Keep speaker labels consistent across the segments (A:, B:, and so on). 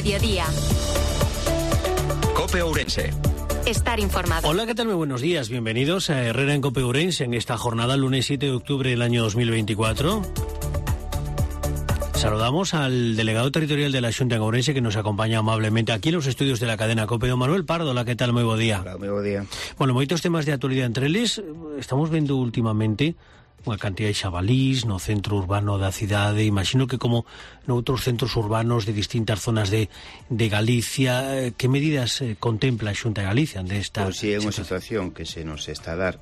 A: mediodía.
B: COPE Ourense.
A: Estar informado.
C: Hola, ¿qué tal? Muy buenos días. Bienvenidos a Herrera en COPE Ourense en esta jornada, lunes 7 de octubre del año 2024. Saludamos al delegado territorial de la Xunta en Ourense que nos acompaña amablemente aquí en los estudios de la cadena COPE, don Manuel Pardo. Hola, ¿qué tal? Muy buen día.
D: Hola, muy buen día.
C: Bueno, moitos temas de actualidad entre eles. Estamos vendo últimamente unha cantidad de xabalís no centro urbano da cidade. Imagino que como noutros centros urbanos de distintas zonas de Galicia, que medidas contempla a Xunta de Galicia desta?
D: Pois si é unha situación que se nos está a dar.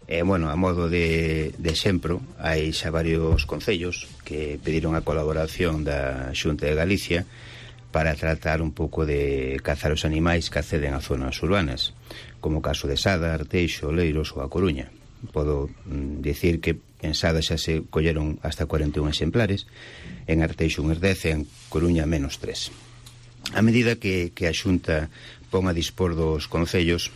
D: Bueno, a modo de exemplo, hai xa varios concellos que pediron a colaboración da Xunta de Galicia para tratar un pouco de cazar os animais que acceden a zonas urbanas, como o caso de Sada, Arteixo, Oleiros ou A Coruña. Podo dicir que en Sada xa se colleron hasta 41 exemplares, en Arteixo uns 10 e en Coruña menos 3. A medida que a Xunta pon a dispor dos concellos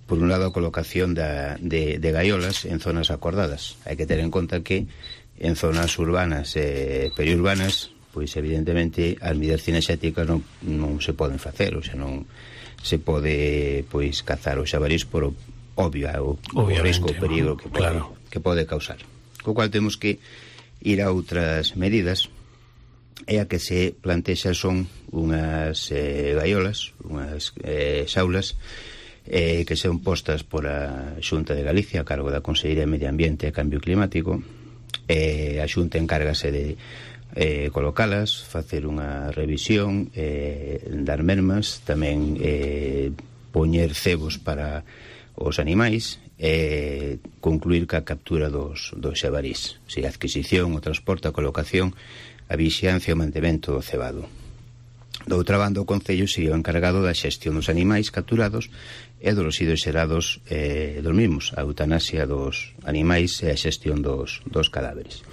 D: por un lado a colocación de gaiolas en zonas acordadas. Hai que ter en conta que en zonas urbanas e periurbanas, pois evidentemente as medidas cinexéticas non se poden facer, ou xa non se pode pois cazar os xabarís por o risco, o perigo que pode causar. Co cual temos que ir a outras medidas, e a que se plantexa son unhas gaiolas, unhas xaulas que son postas por a Xunta de Galicia a cargo da Consellería de Medio Ambiente e Cambio Climático. A Xunta encárgase de colocalas, facer unha revisión, dar mermas, tamén poñer cebos para os animais, concluir ca captura dos xabarís, a adquisición, o transporte, a colocación, a vixiancia e o mantemento do cebado. Do outra banda, o Concello sería o encargado da xestión dos animais capturados e dos residuos xerados dos mesmos, a eutanasia dos animais e a xestión dos cadáveres.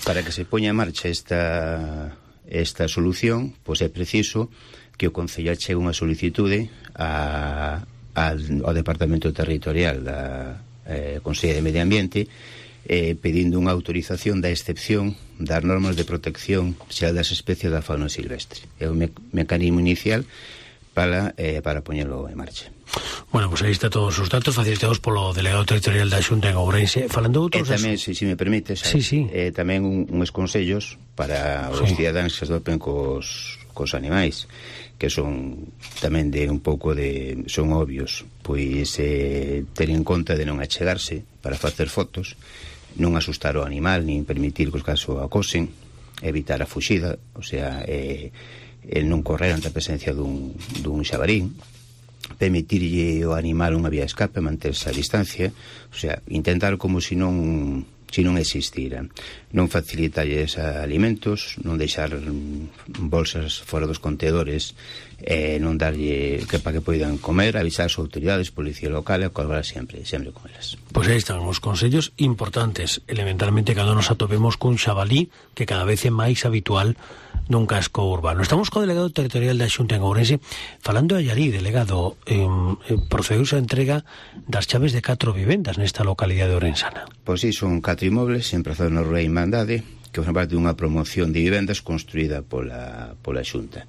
D: Para que se poña en marcha esta solución, pois é preciso que o Concello achegue unha solicitude ao Departamento Territorial da Consellería de Medio Ambiente pedindo unha autorización da excepción das normas de protección xeral das especies da fauna silvestre. É o mecanismo inicial para poñelo en marcha.
C: Bueno, pues aí está todos os datos facilitados polo delegado territorial da Xunta en Ourense. Falando outros...
D: tamén, se me permites, tamén uns consellos para os cidadáns que se dopen cos animais, que son tamén de un pouco de... son obvios, pois ter en conta de non achegarse para facer fotos, non asustar o animal, nin permitir que os casos acosen, evitar a fuxida, o sea, non correr ante a presencia dun xabarín, permitirlle ao animal unha vía de escape, manterse a distancia, o sea, intentar como se non existira, non facilitarlles alimentos, non deixar bolsas fora dos contedores, non darlle para que poidan comer, avisar as autoridades, policía local e colaborar sempre con elas.
C: Pois aí están os consellos importantes, elementalmente cando nos atopemos cun xabalí que cada vez é máis habitual nun casco urbano. Estamos co delegado territorial da Xunta en Ourense falando a Llarí, delegado. Procedeuse a entrega das chaves de 4 vivendas nesta localidade orensana.
D: Pois si, son 4 inmobles emplazados na Rúa Irmandade, que forman parte dunha promoción de vivendas construída pola Xunta.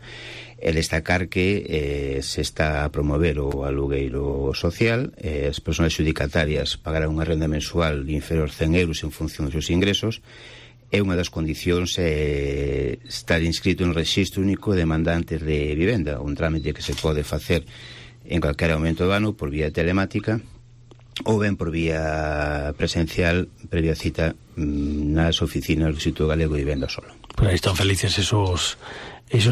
D: El destacar que se está a promover o alugueiro social, as persoas xudicatarias pagarán unha renda mensual inferior a 100 euros en función dos seus ingresos, é unha das condicións estar inscrito en Rexistro Único de Demandantes de Vivenda, un trámite que se pode facer en calquera momento do ano por vía telemática ou ben por vía presencial previa cita nas oficinas do Instituto Galego de Vivenda Solo.
C: Pues aí están felices esos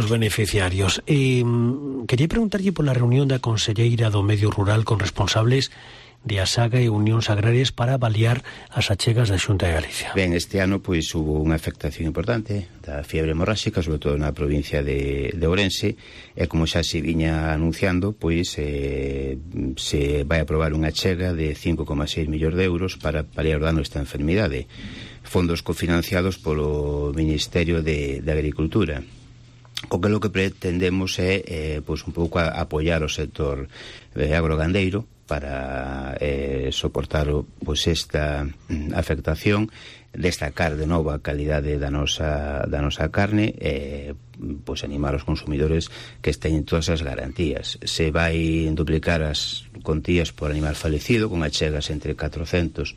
C: beneficiarios. Quería preguntarlle pola reunión da Conselleira do Medio Rural con responsables de Asaga e Unións Agrarias para avaliar as achegas da Xunta de Galicia.
D: Ben, este ano pois hubo unha afectación importante da fiebre hemorráxica, sobre todo na provincia de Ourense, e como xa se viña anunciando, pois se vai aprobar unha achega de 5,6 millóns de euros para paliar o dano desta enfermidade, fondos cofinanciados polo Ministerio de Agricultura. co que lo que pretendemos é pois un pouco apoiar o sector agrogandeiro para soportar pois esta afectación, destacar de novo a calidade da nosa carne, pois animar os consumidores que teñen todas as garantías. Se vai duplicar as contías por animal falecido con achegas entre 400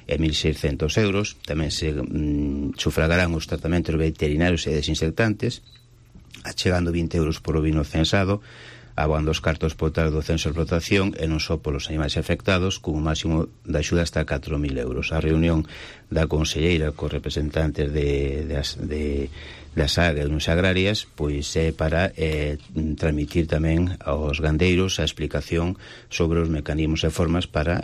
D: e 1.600 euros. Tamén se sufragarán os tratamentos veterinarios e desinfectantes, achegando 20 euros por ovino censado, aboando os cartos totais do censo de explotación e non só polos animais afectados, con un máximo de axuda hasta 4.000 euros. A reunión da conselleira cos representantes das áreas agrarias pois é para transmitir tamén aos gandeiros a explicación sobre os mecanismos e formas para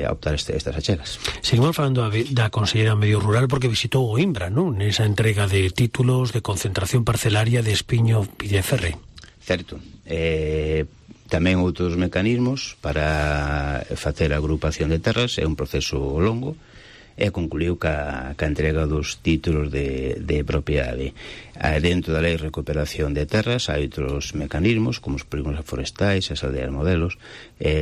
D: optar estas achegas.
C: Seguimos falando da conselleira Medio Rural porque visitou o Imbra, non? Nesa entrega de títulos de concentración parcelaria de Espiño Pilleferre.
D: Certo. Tamén outros mecanismos para facer a agrupación de terras. É un proceso longo e concluiu ca entrega dos títulos de propiedade. Dentro da lei de recuperación de terras hai outros mecanismos como os polígonos forestais, as aldeas modelos,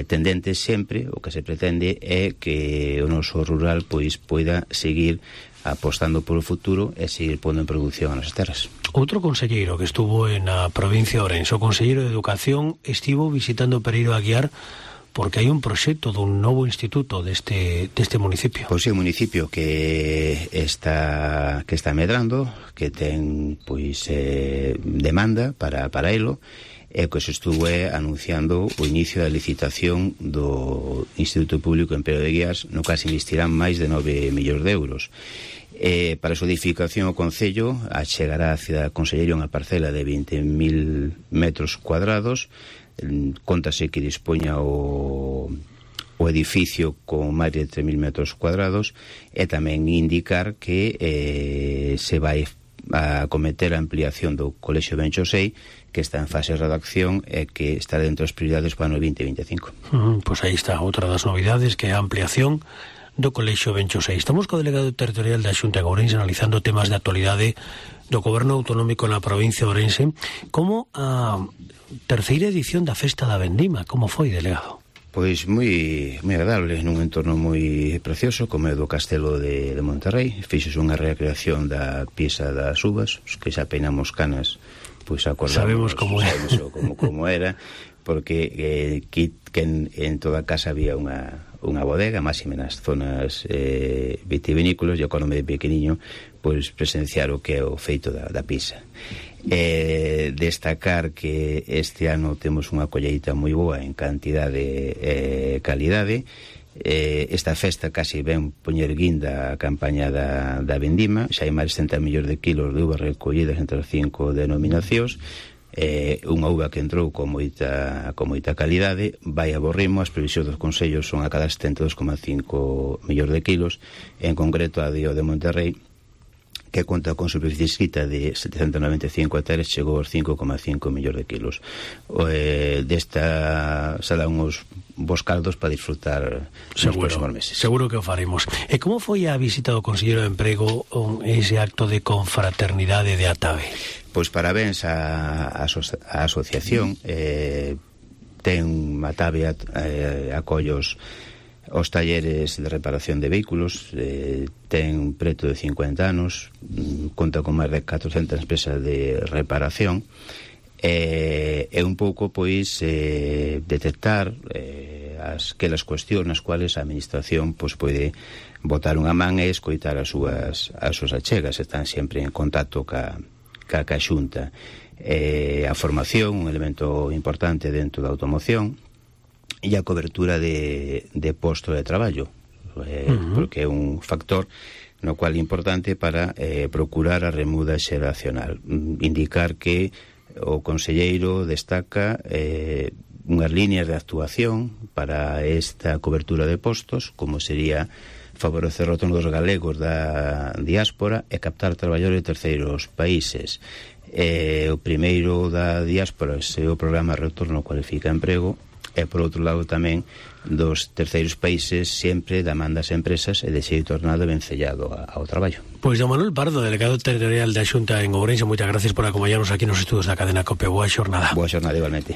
D: tendentes sempre, o que se pretende é que o noso rural pois poida seguir apostando polo futuro e seguir pondo en produción as nosas terras.
C: Outro conselleiro que estuvo na provincia de Ourense, o conselleiro de Educación, estivo visitando Pereiro Aguiar porque hai un proxecto dun novo instituto deste municipio.
D: Pois é un municipio que está medrando, que ten pois demanda para elo, e que se estuvo anunciando o inicio da licitación do Instituto Público en Pereiro de Aguiar, no que se investirán máis de 9 millóns de euros. Para a súa edificación o Concello achegará a Cidade Conselleira unha parcela de 20.000 metros cuadrados. Contase que dispoña o edificio con máis de 3.000 metros cuadrados, e tamén indicar que se vai a cometer a ampliación do Colexio Benxosei, que está en fase de redacción e que está dentro das prioridades para o 2025.
C: Pois aí está outra das novidades, que é a ampliación do Colexio Benxosei. Estamos co delegado territorial da Xunta de Ourense analizando temas de actualidade do goberno autonómico na provincia de Ourense, como a terceira edición da Festa da Vendima. Como foi, delegado?
D: Pois moi agradable, nun entorno moi precioso como é do Castelo de Monterrey. Fixos unha recreación da pieza das uvas, os que xa peinamos canas, pois acordamos,
C: sabemos
D: como era, porque en toda a casa había unha bodega, máxime nas zonas vitivinícolas, e acordome de pequeniño pois presenciar o que é o feito da pizza. Destacar que este ano temos unha colleita moi boa en cantidade e calidade. Esta festa casi ven poñer guinda a campaña da vendima. Xa hai máis de 60 millóns de kilos de uvas recollidas entre as 5 denominacións. Unha uva que entrou con moita calidade, vai a bo ritmo. As previsións dos consellos son a cada 72,5 millóns de kilos. En concreto a de Monterrey, que conta con superficie escrita de 795 hectáreas, chegou aos 5,5 millóns de kilos. Desta se dan uns bons caldos para disfrutar nos próximos meses.
C: Seguro que o faremos. E como foi a visita do conselleiro de Emprego ese acto de confraternidade de Atabe?
D: Pois parabéns á asociación. Ten Atabe acollos os talleres de reparación de vehículos, ten preto de 50 anos, conta con máis de 400 empresas de reparación, e un pouco pois detectar aquelas cuestións nas cuales a administración pois pode botar unha man e escoitar as súas achegas. Están sempre en contacto ca Xunta. A formación, un elemento importante dentro da automoción, e a cobertura de posto de traballo, porque é un factor no cual é importante para procurar a remuda xeracional. Indicar que o conselleiro destaca unhas líneas de actuación para esta cobertura de postos, como sería favorecer o retorno dos galegos da diáspora e captar traballadores de terceiros países. O primeiro da diáspora é o programa Retorno Cualifica Emprego, e por outro lado tamén dos terceiros países sempre daman das empresas e de xeito tornado vencellado ao traballo.
C: Pois don Manuel Pardo, delegado territorial da Xunta en Ourense, moitas gracias por acompañarnos aquí nos estudos da cadena COPE. Boa xornada.
D: Boa xornada igualmente.